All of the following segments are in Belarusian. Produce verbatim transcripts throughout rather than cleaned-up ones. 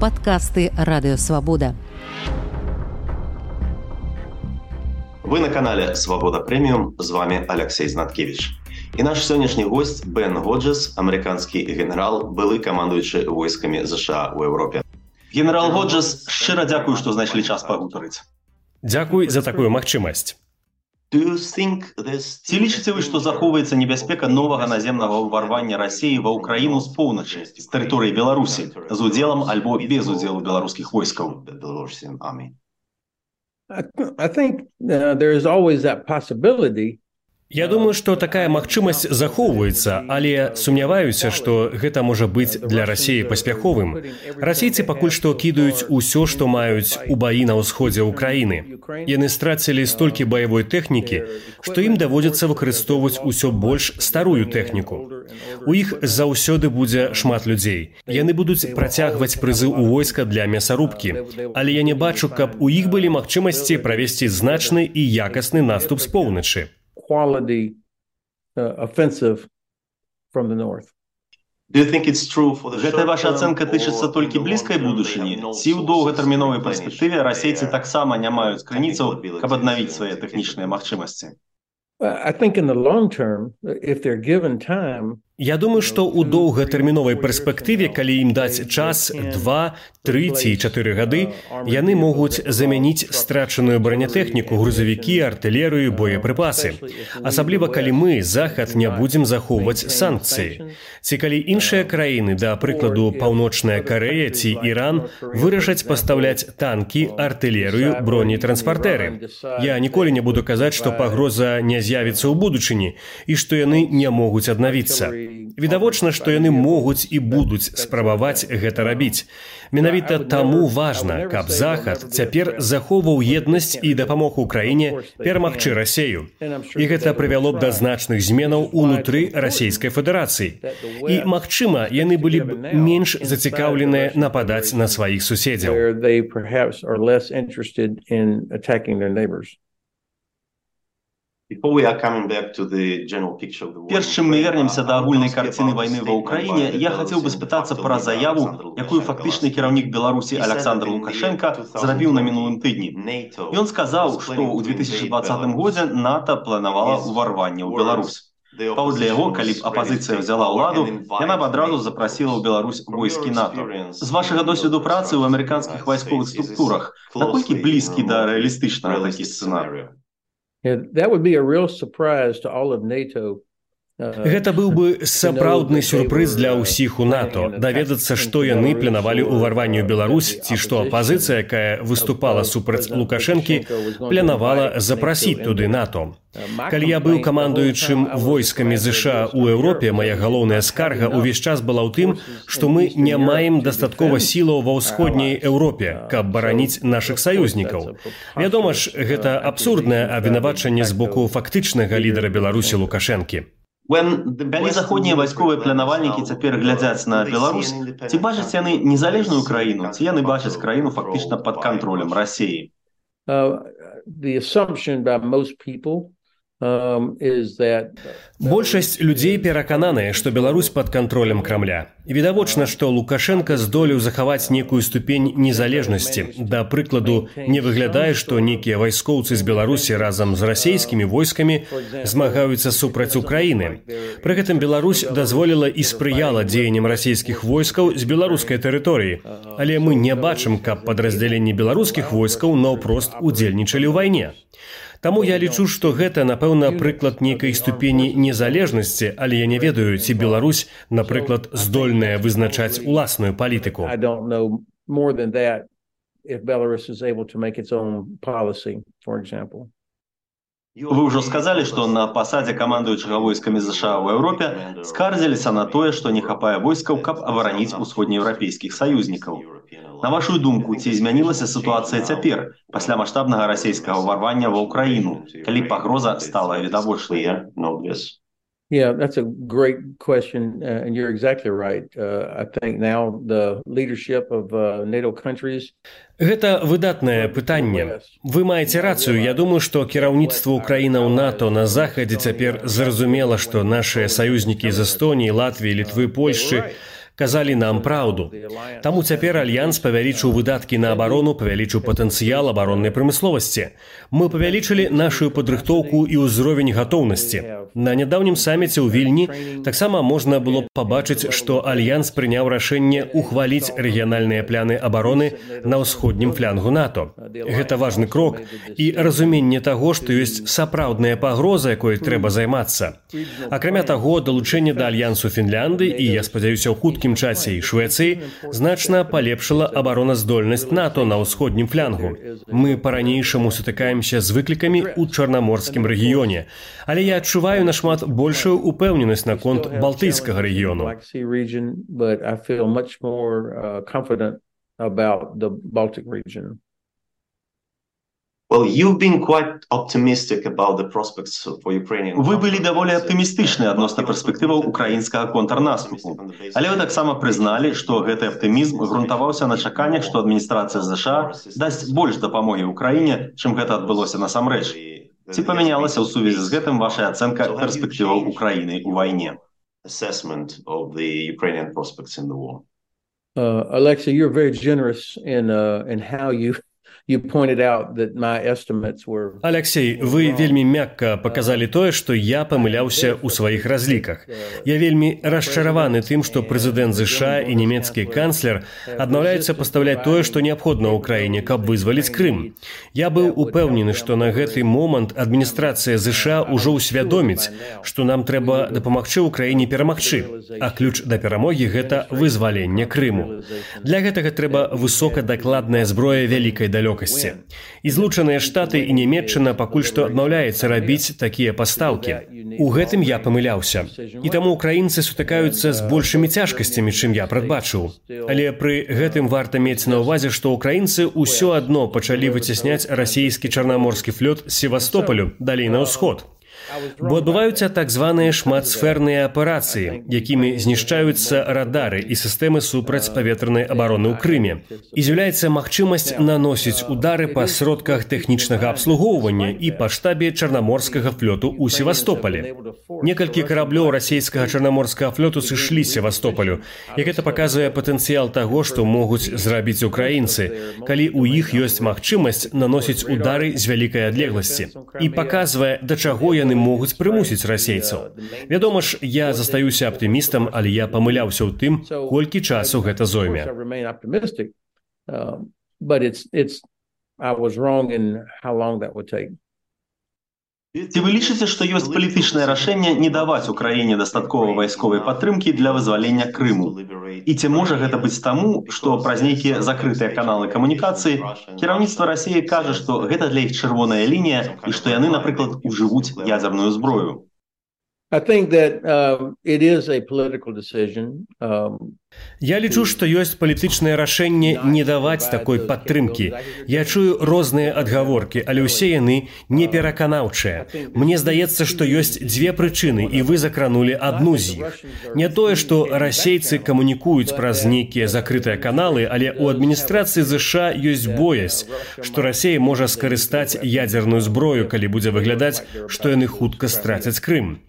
Подкасты Радио Свобода. Вы на канале Свобода Премиум, з вами Алексей Знаткевич. І наш сьогоднішній гость Бен Годжес, американський генерал, былий командуючий військами США у Європі. Генерал Годжес, щиро дякую, що знайшли час погутарити. Дякую за таку магчымасць. Ці лічыце вы, што захоўваецца небяспека новага наземнага ўварвання Расіі ва ўкраіну з поўначы, з тэрыторыі Беларусі, з удзелам альбо без удзелу беларускіх войскаў? I think uh, there is always that possibility. Я думаю, што такая магчымасць захоўваецца, але сумняваюся, што гэта можа быць для Расіі паспяховым. Расійцы пакуль што кідаюць усё, што маюць у баі на ўсходзе ўкраіны. Яны страцілі столькі баявой тэхнікі, што ім даводзіцца выкарыстоўваць усё больш старую тэхніку. У іх заўсёды будзе шмат людзей. Яны будуць працягваць прызыў у войска для мясарубкі. Але я не бачу, каб у іх былі магчымасці правесці значны і якасны наступ з поўначы. Quality uh, offensive from the north. Do you think it's true for the Гэтая ваша ацэнка тычыцца толькі блізкай будучыні? Ці ў доўгатэрміновай перспектыве расейцы таксама не маюць крыніцаў, каб аднавіць свае тэхнічныя магчымасці? I think in the long term, if they're given time, Я думаю, што ў доўгатэрміновай перспектыве, калі ім даць час два, тры ці чатыры гады, яны могуць замяніць страчаную бронетэхніку, грузавікі, артылерыю, боепрыпасы. Асабліва, калі мы, Захад, не будзем захоўваць санкцыі. Ці калі іншыя краіны, да прыкладу Паўночная Карэя ці Іран, вырашаць пастаўляць танкі, артылерыю, бронетранспартэры. Я ніколі не буду казаць, што пагроза не з'явіцца ў будучыні і што яны не могуць аднавіцца. Відавочна, што яны могуць і будуць спрабаваць гэта рабіць. Менавіта таму важна, каб Захад цяпер захоўваў еднасць і дапамог Украіне перамагчы Расею. І гэта прывяло б да значных зменаў унутры Расійскай Федэрацыі. І, магчыма, яны былі б менш зацікаўленыя нападаць на сваіх суседзяў. Перш чым мы вернемся да агульнай карціны вайны ва ўкраіне, я хацеў бы спытацца пра заяву, якую фактычны кіраўнік Беларусі Александр Лукашенко зрабіў на мінулым тыдні. Ён сказаў, што ў две тысячы дваццатым годзе НАТО планавала ўварванне ў Беларусь. Паводле яго, калі б апазіцыя взяла ўладу, яна б адразу запрасіла ў Беларусь войскі НАТО. З вашага досведу працы ў амерыканскіх вайсковых структурах, наколькі блізкі да рэалістычнага такі сцэнарыю? Yeah, that would be a real surprise to all of NATO. Гэта быў бы сапраўдны сюрпрыз для ўсіх у НАТО, даведацца, што яны планавалі ўварванне ў Беларусь, ці што апазіцыя, якая выступала супраць Лукашэнкі, планавала запрасіць туды НАТО. Калі я быў камандуючым войскамі ЗША ў Еўропе, мая галоўная скарга ўвесь час была ў тым, што мы не маем дастаткова сілаў ва ўсходняй Еўропе, каб бараніць нашых саюзнікаў. Вядома ж, гэта абсурднае абвінавачанне з боку фактычнага лідара Беларусі Лукашэнкі. Калі заходнія вайсковыя планавальнікі цяпер глядзяць на Беларусь, ці бачаць яны незалежную краіну, ці яны бачаць краіну фактычна пад кантролем Расіі? Uh, the assumption by most people um, is that Большасць людзей перакананыя, што Беларусь пад кантролем Крамля. Відавочна, што Лукашенко здолеў захаваць некую ступень незалежнасці. Да прыкладу, не выглядае, што некія вайскоўцы з Беларусі разам з расійскімі войскамі змагаюцца супраць Украіны. Пры гэтым Беларусь дазволіла і спрыяла дзеянням расійскіх войскаў з беларускай тэрыторыі. Але мы не бачым, каб падраздзяленні беларускіх войскаў наўпрост удзельнічалі ў вайне. Таму я лічу, што гэта, напэўна, прыклад нейкай ступені незалежнасці, але я не ведаю, ці Беларусь, напрыклад, здольная вызначаць уласную палітыку. I don't know more than that if Belarus is able to make its own policy, for example. Вы ўжо сказалі, што на пасадзе камандуючага войскамі ЗША ў Еўропе скардзіліся на тое, што не хапае войскаў, каб абараніць усходнееўрапейскіх саюзнікаў. На вашу думку, ці змянілася сітуацыя цяпер, пасля маштабнага расійскага ўварвання ва ўкраіну, калі пагроза стала відавочнай? Yeah, that's a great question, uh, and you're exactly right. Uh, I think now the leadership of uh, NATO countries. Гэта выдатнае пытанне. Вы маеце рацыю. Я думаю, што кіраўніцтва ўкраінаў НАТО на захадзе цяпер зразумела, што нашыя саюзнікі з Эстоніі, Латвіі, Літвы, Польшчы казалі нам праўду. Таму цяпер альянс павялічыў выдаткі на абарону, павялічыў патэнцыял абароннай прамысловасці. Мы павялічылі нашу падрыхтоўку і ўзровень гатоўнасці. На нядаўнім саміце ў Вільні таксама можна было пабачыць, што альянс прыняў рашэнне ухваліць рэгіянальныя пляны абароны на ўсходнім флянгу НАТО. Гэта важны крок і разуменне таго, што ёсць сапраўдная пагроза, якой трэба займацца. Акрамя таго, далучэнне да альянсу Фінляндыі і, я спадзяюся, ў хуткім часе і Швецыі значна палепшыла абароназдольнасць НАТО на ўсходнім флянгу. Мы па-ранейшаму сутыкаемся з выклікамі ў чарнаморскім рэгіёне, але я адчуваю нашмат большую упэўненасць наконт балтыйскага рэгіёну. Вы былі даволі аптымістычныя адносна перспектываў украінскага контрнаступу. Але вы таксама прызналі, што гэты аптымізм грунтаваўся на чаканнях, што адміністрацыя ЗША дасць больш дапамогі ўкраіне, чым гэта адбылося насамрэч. Ці памянялася ў сувязі з гэтым ваша ацэнка перспектываў Украіны ў вайне? Alexa, you're very generous in uh, in how you You pointed out that my estimates were... Алексей, вы вельмі мякка паказалі тое, што я памыляўся ў сваіх разліках. Я вельмі расчараваны тым, што прэзідэнт ЗША і нямецкі канцлер адмаўляюцца пастаўляць тое, што неабходна ў краіне, каб вызваліць Крым. Я быў упэўнены, што на гэты момант адміністрацыя ЗША ўжо ўсвядоміць, што нам трэба дапамагчы ўкраіне перамагчы, а ключ да перамогі – гэта вызваленне Крыму. Для гэтага трэба высокадакладная зброя вялікай далёкасці. І злучаныя Штаты і Нямецчына пакуль што адмаўляецца рабіць такія пастаўкі. У гэтым я памыляўся. І таму украінцы сутыкаюцца з большымі цяжкасцямі, чым я прадбачыў. Але пры гэтым варта мець на ўвазе, што украінцы ўсё адно пачалі выцесняць расійскі чарнаморскі флот з Севастополю далей на ўсход. Бо адбываюцца так званыя шматсферныя аперацыі, якімі знішчаюцца радары і сістэмы супрацьпаветранай абароны ў Крыме. І з'яўляецца магчымасць наносіць удары па сродках тэхнічнага абслугоўвання і па штабе чарнаморскага флоту ў Севастополі. Некалькі караблёў расійскага чарнаморскага флоту сышлі з Севастополю, і гэта паказвае патэнцыял таго, што могуць зрабіць украінцы, калі ў іх ёсць магчымасць наносіць удары з вялікай адлегласці. І паказвае, да чаго яны могуць прымусіць расейцаў. Вядома ж, я застаюся аптымістам, але я памыляўся ў тым, колькі часу гэта зойме. Ці вы лічыце, што ёсць палітычнае рашэнне не даваць Украіне дастаткова вайсковай падтрымкі для вызвалення Крыму? І ці можа гэта быць таму, што праз нейкія закрытыя каналы камунікацыі кіраўніцтва Расіі кажа, што гэта для іх чырвоная лінія і што яны, напрыклад, ужывуць ядзерную зброю? I think that uh, it is a political decision. Um, Я лічу, што ёсць палітычнае рашэнне не даваць такой падтрымкі. Я чую розныя адгаворкі, але ўсе яны непераканаўчыя. Мне здаецца, што ёсць дзве прычыны, і вы закранулі адну з іх. Не тое, што расейцы камунікуюць праз нейкія закрытыя каналы, але ў адміністрацыі ЗША ёсць боязь, што Расія можа скарыстаць ядзерную зброю, калі будзе выглядаць, што яны хутка страцяць Крым.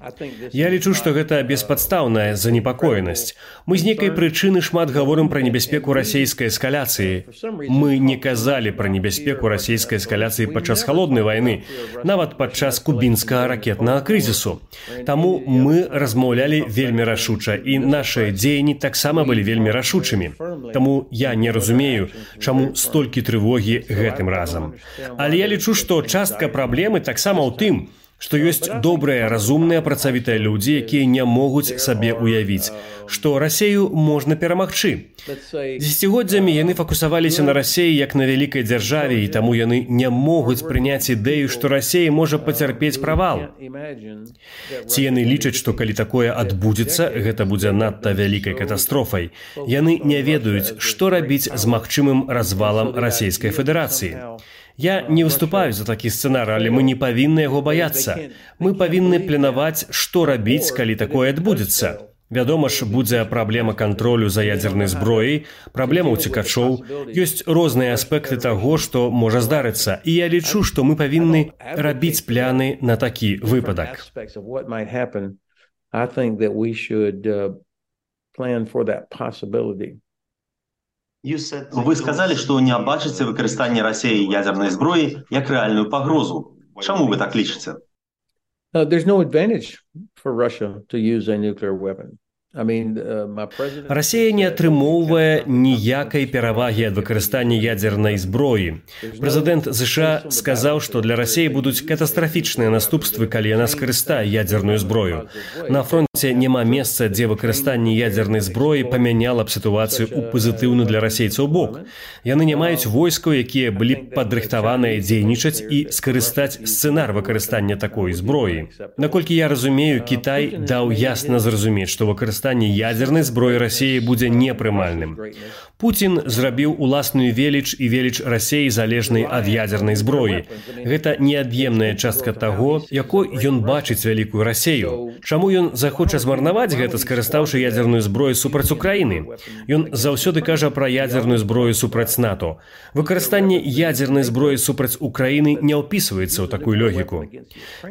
Я лічу, што гэта беспадстаўная занепакоенасць. Мы з нейкай прычыны Прычыны шмат гаворым пра небяспеку расійскай эскаляцыі. Мы не казалі пра небяспеку расійскай эскаляцыі падчас халоднай вайны, нават падчас кубінскага ракетнага крызісу. Таму мы размаўлялі вельмі рашуча, і нашыя дзеянні таксама былі вельмі рашучымі. Таму я не разумею, чаму столькі трывогі гэтым разам. Але я лічу, што частка праблемы таксама ў тым, што ёсць добрыя, разумныя, працавітыя людзі, якія не могуць сабе ўявіць, што Расею можна перамагчы. Дзесяцігоддзямі яны фокусаваліся на Расеі як на вялікай дзяржаве, і таму яны не могуць прыняць ідэю, што Расея можа пацярпець правал. Ці яны лічаць, што калі такое адбудзецца, гэта будзе надта вялікай катастрофай. Яны не ведаюць, што рабіць з магчымым развалам Расійскай Федэрацыі. Я не выступаю за такі сцэнар, але мы не павінны яго баяцца. Мы павінны планаваць, што рабіць, калі такое адбудзецца. Вядома ж, будзе праблема кантролю за ядзернай зброяй, праблема ўцекачоў, ёсць розныя аспекты таго, што можа здарыцца. І я лічу, што мы павінны рабіць пляны на такі выпадак. plan for that possibility. Вы сказали, што не бачыце выкарыстанне Расіі ядзернай зброі як рэальную пагрозу. Чаму вы так лічыце? Uh, there's no advantage for Russia to use a nuclear weapon. I mean, uh, my president... Расія не атрымоўвае ніякай перавагі ад выкарыстання ядзернай зброі. Прэзідэнт ЗША сказаў, што для Расіі будуць катастрафічныя наступствы, калі яна скарыстае ядзерную зброю. На фронте няма месца, дзе выкарыстанне ядзернай зброі памяняла б сітуацыю ў пазітыўны для расейцаў бок. Яны не маюць войскаў, якія былі б падрыхтаваныя дзейнічаць і скарыстаць сцэнар выкарыстання такой зброі. Наколькі я разумею, Кітай даў ясна зразумець, што выкарыстанне ядзернай зброі Расіі будзе непрымальным. Пуцін зрабіў уласную веліч і веліч Расіі залежнай ад ядзернай зброі. Гэта неад'емная частка таго, якой ён бачыць вялікую Расію. Чаму ён захоча змарнаваць гэта, скарыстаўшы ядзерную зброю супраць Украіны? Ён заўсёды кажа пра ядзерную зброю супраць НАТО. Выкарыстанне ядзернай зброі супраць Украіны не ўпісваецца ў такую логіку.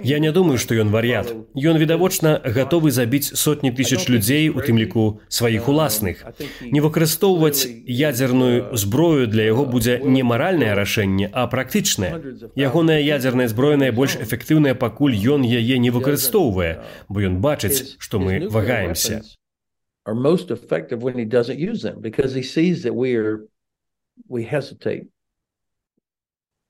Я не думаю, што ён вар'ят. Ён, відавочна, гатовы забіць сотні тысяч людзей, у тым ліку сваіх уласных. Не выкарыстоўваць ядзерную зброю для яго будзе не маральнае рашэнне, а практычнае. Ягоная ядзерная зброя найбольш эфектыўная, пакуль ён яе не выкарыстоўвае, бо ён бачыць, што мы вагаемся.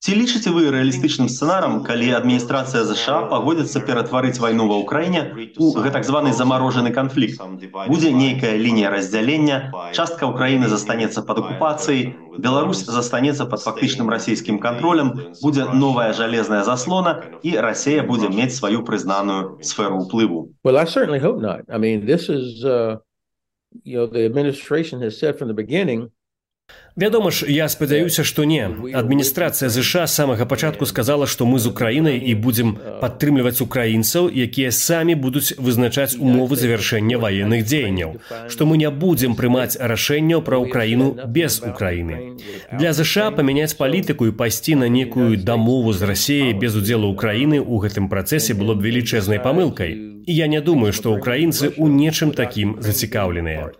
Ці лічыце вы рэалістычным сцэнарам, калі адміністрацыя ЗША пагодзіцца ператварыць вайну ва ўкраіне у гэтак званы замарожаны канфлікт? Будзе нейкая лінія раздзялення, частка ўкраіны застанецца пад акупацыяй, Беларусь застанецца пад фактычным расійскім кантролем, будзе новая жалезная заслона, і Расія будзе мець сваю прызнаную сферу ўплыву. Well, I certainly hope not. I mean, this is, uh, you know, the administration has said from the beginning. Вядома ж, я спадзяюся, што не. Адміністрацыя ЗША з самага пачатку сказала, што мы з Украінай і будзем падтрымліваць украінцаў, якія самі будуць вызначаць умовы завяршэння ваенных дзеянняў, што мы не будзем прымаць рашэнняў пра Украіну без Украіны. Для ЗША памяняць палітыку і пайсці на некую дамову з Расіяй без удзелу Украіны ў гэтым працэсе было б велічэзнай памылкай. І я не думаю, што украінцы ў нечым такім зацікаўленыя.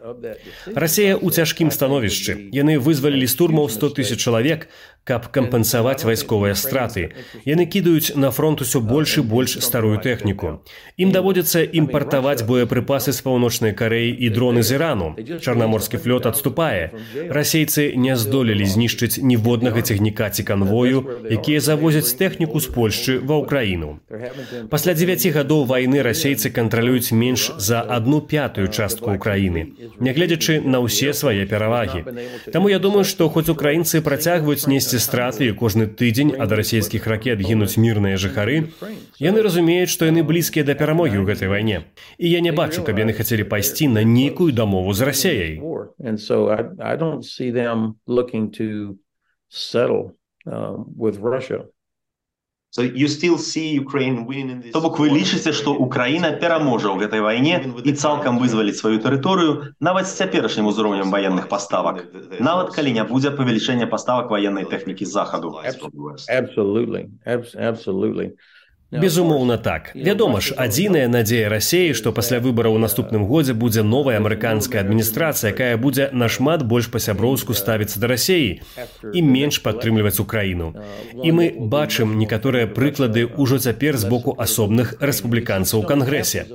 Расія ў цяжкім становішчы. Яны вызвалілі з турмаў сто тысяч чалавек, каб кампенсаваць вайсковыя страты. Яны кідаюць на фронт усё больш і больш старую тэхніку. Ім даводзіцца імпартаваць боепрыпасы з Паўночнай Карэі і дроны з Ірану. Чарнаморскі флот адступае. Расейцы не здолелі знішчыць ніводнага цягніка ці канвою, якія завозяць тэхніку з Польшчы ва ўкраіну. Пасля дзевяці гадоў вайны расейцы кантралююць менш за адну пятую частку Украіны, нягледзячы на ўсе свае перавагі. Таму я думаю, што хоць украінцы працягваюць несці страты і кожны тыдзень ад расійскіх ракет гінуць мірныя жыхары, яны разумеюць, што яны блізкія да перамогі ў гэтай вайне. І я не бачу, каб яны хацелі пайсці на нейкую дамову з Расіяй. То бок вы лічыце, што Украіна пераможа ў гэтай вайне і цалкам вызваліць сваю тэрыторыю нават з цяперашнім узроўнем ваенных паставак, нават калі не будзе павелічэння паставак ваеннай тэхнікі з захаду. Absolutely, absolutely. Безумоўна так. Вядома ж, адзіная надзея Расіі, што пасля выбараў у наступным годзе будзе новая амерыканская адміністрацыя, якая будзе нашмат больш па-сяброўску ставіцца да Расіі і менш падтрымліваць Украіну. І мы бачым некаторыя прыклады ўжо цяпер з боку асобных рэспубліканцаў у Кангрэсе.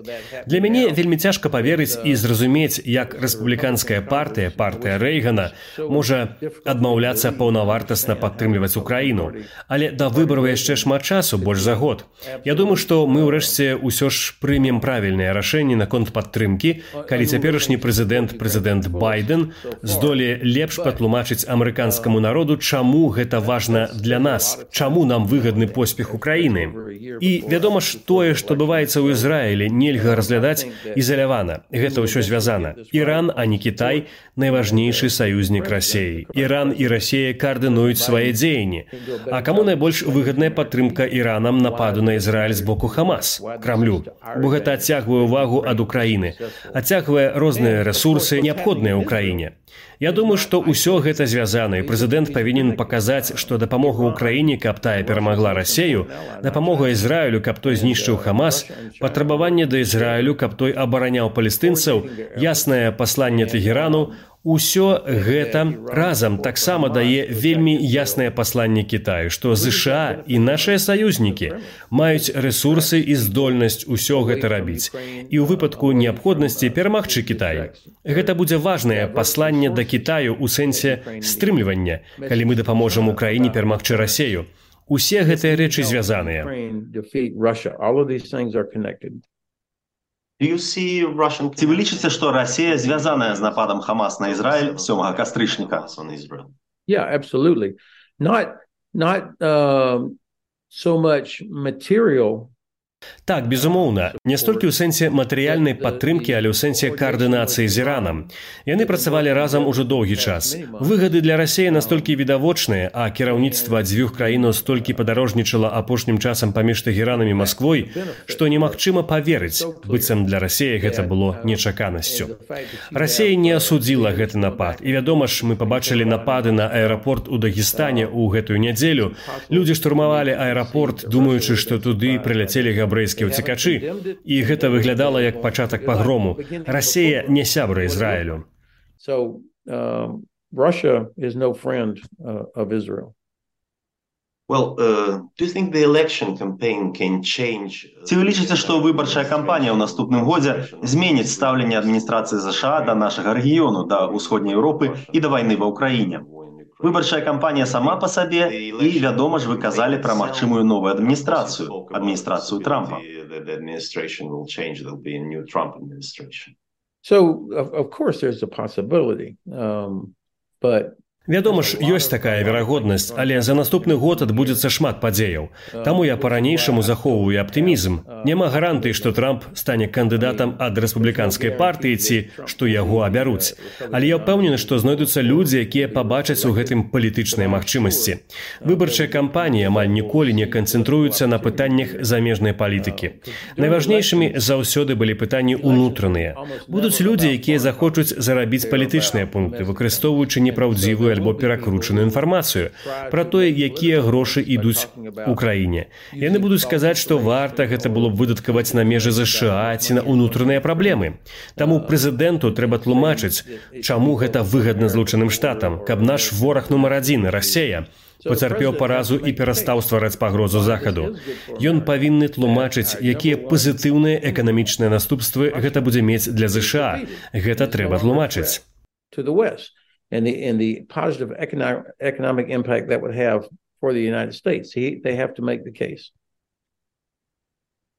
Для мяне вельмі цяжка паверыць і зразумець, як рэспубліканская партыя, партыя Рэйгана, можа адмаўляцца паўнавартасна падтрымліваць Украіну. Але да выбараў яшчэ шмат часу, больш за год. Я думаю, што мы ўрэшце ўсё ж прымем правільнае рашэнне наконт падтрымкі, калі цяперашні прэзідэнт, прэзідэнт Байден, здолее лепш патлумачыць амерыканскаму народу, чаму гэта важна для нас, чаму нам выгадны поспех Украіны. І вядома ж, тое, што адбываецца ў Ізраілі, нельга разглядаць ізалявана. Гэта ўсё звязана. Іран, а не Кітай, найважнейшы саюзнік Расіі. Іран і Расія каардынуюць свае дзеянні. А каму найбольш выгадная падтрымка Іранам нападу на на Ізраіль з боку Хамас, Крамлю, бо гэта адцягвае ўвагу ад Украіны, адцягвае розныя рэсурсы, неабходныя ўкраіне. Я думаю, што ўсё гэта звязана, і прэзідэнт павінен паказаць, што дапамога ўкраіне, каб тая перамагла Расею, дапамога Ізраілю, каб той знішчыў Хамас, патрабаванне да Ізраілю, каб той абараняў палестынцаў, яснае пасланне Тэгерану, усё гэта разам таксама дае вельмі яснае пасланне Кітаю, што ЗША і нашыя саюзнікі маюць рэсурсы і здольнасць усё гэта рабіць. І ў выпадку неабходнасці перамагчы Кітай. Гэта будзе важнае пасланне да Кітаю ў сэнсе стрымлівання, калі мы дапаможам Украіне перамагчы Расею. Усе гэтыя рэчы звязаныя. Ці вы лічыце, што Расія звязаная з нападам Хамас на Ізраіль сёмага кастрычніка? Yeah, absolutely. Not, not uh, so much material. Так, безумоўна, не столькі ў сэнсе матэрыяльнай падтрымкі, але ў сэнсе каардынацыі з Іранам. Яны працавалі разам ужо доўгі час. Выгады для Расіі настолькі відавочныя, а кіраўніцтва дзвюх краінаў столькі падарожнічала апошнім часам паміж Тэгеранам і Масквой, што немагчыма паверыць, быццам для Расіі гэта было нечаканасцю. Расія не асудзіла гэты напад, і вядома ж, мы пабачылі напады на аэрапорт у Дагестане ў гэтую нядзелю. Людзі штурмавалі аэрапорт, думаючы, што туды прыляцелі габрэйскія ўцекачы, і гэта выглядала як пачатак пагрому. Расія не сябра Ізраілю. So, um, Russia is no friend uh, of Israel. Well, uh, do you think the election campaign can change? Ці вы лічыце, што выбарчая кампанія ў наступным годзе зменіць стаўленне адміністрацыі ЗША да нашага рэгіёну, да ўсходняй Еўропы і да вайны ва Ўкраіне? Выбарчая кампанія сама па сабе, і, вядома ж, вы казалі пра магчымую новую адміністрацыю, адміністрацыю Трампа. So, of, of course, there's a possibility, um, but Вядома ж, ёсць такая верагоднасць, але за наступны год адбудзецца шмат падзеяў. Таму я па-ранейшаму захоўваю аптымізм. Няма гарантыі, што Трамп стане кандыдатам ад рэспубліканскай партыі ці што яго абяруць. Але я ўпэўнены, што знойдуцца людзі, якія пабачаць у гэтым палітычныя магчымасці. Выбарчая кампанія амаль ніколі не канцэнтруецца на пытаннях замежнай палітыкі. Найважнейшымі заўсёды былі пытанні ўнутраныя. Будуць людзі, якія захочуць зарабіць палітычныя пункты, выкарыстоўваючы непраўдзівую альбо перакручаную інфармацыю пра тое, якія грошы ідуць у краіне. Яны будуць казаць, што варта гэта было б выдаткаваць на межы ЗША ці на ўнутраныя праблемы. Таму прэзідэнту трэба тлумачыць, чаму гэта выгадна Злучаным Штатам, каб наш вораг нумар адзін, Расія, пацярпеў паразу і перастаў ствараць пагрозу Захаду. Ён павінны тлумачыць, якія пазітыўныя эканамічныя наступствы гэта будзе мець для ЗША. Гэта трэба тлумачыць. And the, and the positive economic, economic impact that would have for the United States. He, they have to make the case.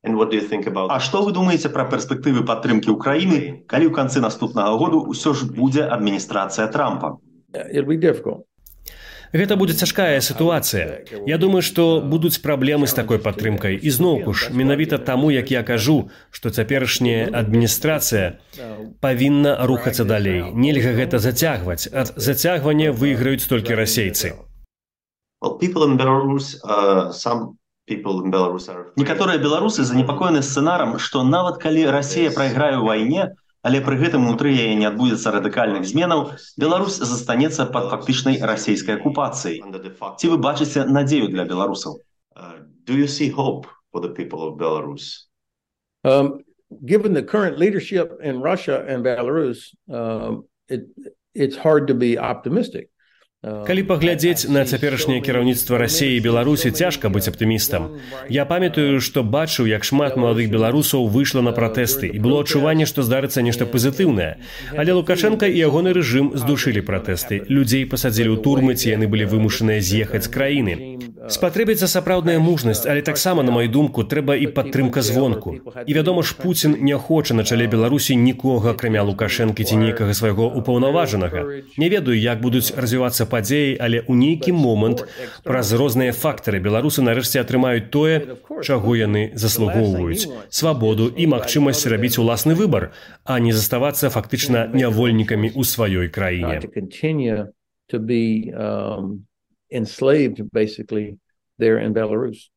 And what do you think about... А што вы думаеце пра перспектывы падтрымкі Украіны, калі ў канцы наступнага году ўсё ж будзе адміністрацыя Трампа? It'll be difficult. Гэта будзе цяжкая сітуацыя. Я думаю, што будуць праблемы з такой падтрымкай. І зноўку ж, менавіта таму, як я кажу, што цяперашняя адміністрацыя павінна рухацца далей. Нельга гэта зацягваць. Ад зацягвання выйграюць толькі расейцы. Некаторыя беларусы занепакоены сцэнарам, што нават калі Расія прайграе ў вайне, але пры гэтым унутры яе не адбудзецца радыкальных зменаў, Беларусь застанецца пад фактычнай расійскай акупацыяй. Ці вы бачыце надзею для беларусаў? Do you see hope for the people of Belarus? Um, given the current leadership in Russia and Belarus, um, it, it's hard to be optimistic. Калі паглядзець на цяперашняе кіраўніцтва Расіі і Беларусі, цяжка быць аптымістам. Я памятаю, што бачыў, як шмат маладых беларусаў выйшла на пратэсты, і было адчуванне, што здарыцца нешта пазітыўнае. Але Лукашенка і ягоны рэжым здушылі пратэсты. Людзей пасадзілі ў турмы, ці яны былі вымушаныя з'ехаць з краіны. Спатрэбіцца сапраўдная мужнасць, але таксама, на маю думку, трэба і падтрымка звонку. І, вядома ж, Пуцін не хоча на чале Беларусі нікога, акрамя Лукашэнкі ці нейкага свайго упаўнаважанага. Не ведаю, як будуць развівацца падзеі, але ў нейкі момант праз розныя фактары беларусы нарэшце атрымаюць тое, чаго яны заслугоўваюць – свабоду і магчымасць рабіць уласны выбар, а не заставацца фактычна нявольнікамі ў сваёй краіне. Enslaved, basically, there in Belarus.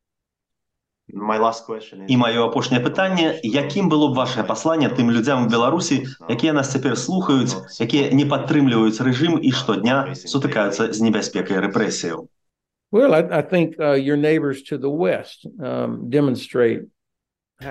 І маё апошняе пытанне, якім было б вашае пасланне тым людзям у Беларусі, якія нас цяпер слухаюць, якія не падтрымліваюць рэжым і штодня сутыкаюцца з небяспекай рэпрэсіяў? Well, I, I think uh, your neighbors to the west um, demonstrate.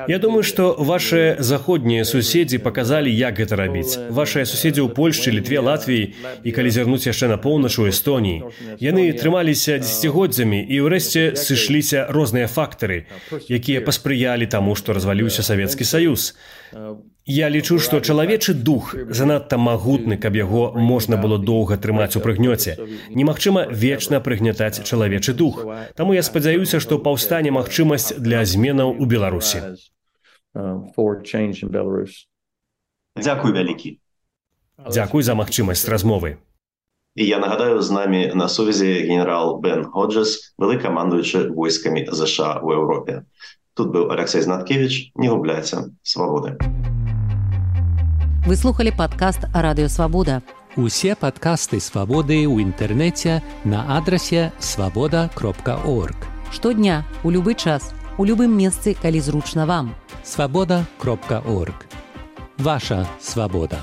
Я думаю, што вашыя заходнія суседзі паказалі, як гэта рабіць. Вашыя суседзі ў Польшчы, Літве, Латвіі і калі зірнуць яшчэ на поўнач у Эстоніі. Яны трымаліся дзесяцігоддзямі і ўрэшце сышліся розныя фактары, якія паспрыялі таму, што разваліўся Савецкі Саюз. Я лічу, што чалавечы дух занадта магутны, каб яго можна было доўга трымаць у прыгнёце. Немагчыма вечна прыгнятаць чалавечы дух. Таму я спадзяюся, што паўстане магчымасць для зменаў у Беларусі. Дзякуй вялікі. Дзякуй за магчымасць размовы. І я нагадаю, з намі на сувязі генерал Бен Ходжес, великомандуючий войсками США в Європі. Тут був Алексей Знаткевич. Не губляйся. Свободи. Вы слухали падкаст Радыё Свабода. Усе падкасты Свабоды ў інтэрнэце на адрасе свабода кропка орг. Штодня, у любы час, у любым месцы, калі зручна вам. свабода кропка орг. Ваша свабода.